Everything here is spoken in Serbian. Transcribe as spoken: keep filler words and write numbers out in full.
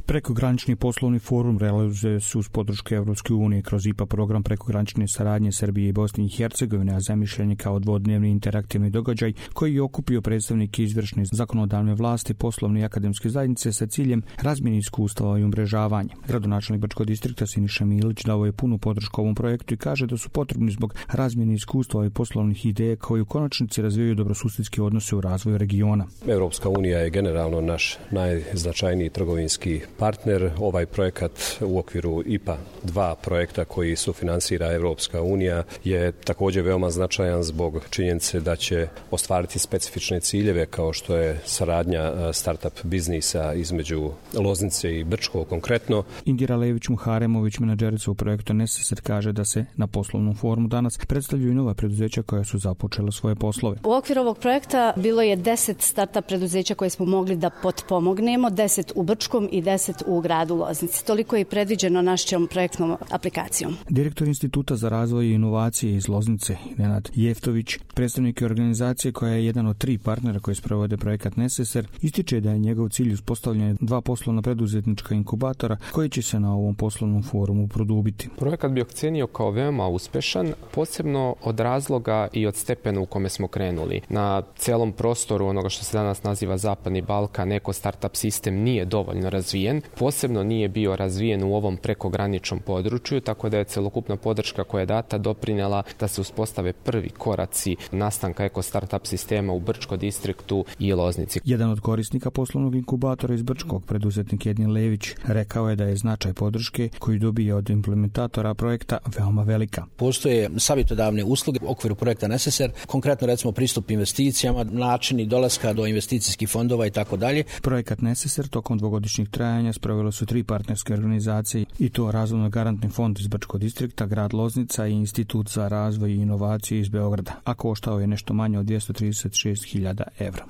Prekogranični poslovni forum realizuje se uz podršku Evropske unije kroz I P A program prekogranične saradnje Srbije i Bosne i Hercegovine, a zamišljen je kao dvodnevni interaktivni događaj koji je okupio predstavnike izvršne zakonodavne vlasti, poslovne i akademske zajednice sa ciljem razmjene iskustava i umrežavanja. Gradonačelnik Brčkog distrikta Siniša Milić dao je punu podršku ovom projektu i kaže da su potrebni zbog razmjene iskustava i poslovnih ideja koji u konačnici razvijaju dobrosusedske odnose u razvoju regiona. Evropska unija je generalno naš najznačajniji trgovinski partner. Ovaj projekat u okviru I P A dva projekta koji sufinansira Evropska unija je također veoma značajan zbog činjenice da će ostvariti specifične ciljeve kao što je saradnja startup biznisa između Loznice i Brčkog konkretno. Indira Lević-Muharemović, menadžerica u projektu Necessar, kaže da se na poslovnom forumu danas predstavljaju nova preduzeća koja su započela svoje poslove. U okviru ovog projekta bilo je deset startup preduzeća koje smo mogli da potpomognemo, deset u Brčkom i deset u gradu Loznici. Toliko je predviđeno našom projektnom aplikacijom. Direktor Instituta za razvoj i inovacije iz Loznice, Nenad Jeftović, predstavnik organizacije koja je jedan od tri partnera koji sprovode projekat Necessar, ističe da je njegov cilj uspostavljanje dva poslovna preduzetnička inkubatora koji će se na ovom poslovnom forumu produbiti. Projekat bi ocjenio kao veoma uspešan, posebno od razloga i od stepena u kome smo krenuli. Na celom prostoru onoga što se danas naziva Zapadni Balkan, eko startup sistem nije dovoljno razvijen, posebno nije bio razvijen u ovom prekograničnom području, tako da je celokupna podrška koja je data doprinela da se uspostave prvi koraci nastanka eko startup sistema u Brčkom distriktu i Loznici. Jedan od korisnika poslovnog inkubatora iz Brčkog, preduzetnik Edin Lević, rekao je da je značaj podrške koju dobije od implementatora projekta veoma velika. Postoje savjetodavne usluge u okviru projekta Necessar, konkretno recimo pristup investicijama, načini dolaska do investicijskih fondova i tako dalje. Projekat Necessar tokom dvogodišnjeg trajanja sprovelo su tri partnerske organizacije i to Razvojno garantni fond iz Brčkog distrikta, grad Loznica i Institut za razvoj i inovacije iz Beograda, a koštao je nešto manje od dvjesto trideset šest hiljada evra.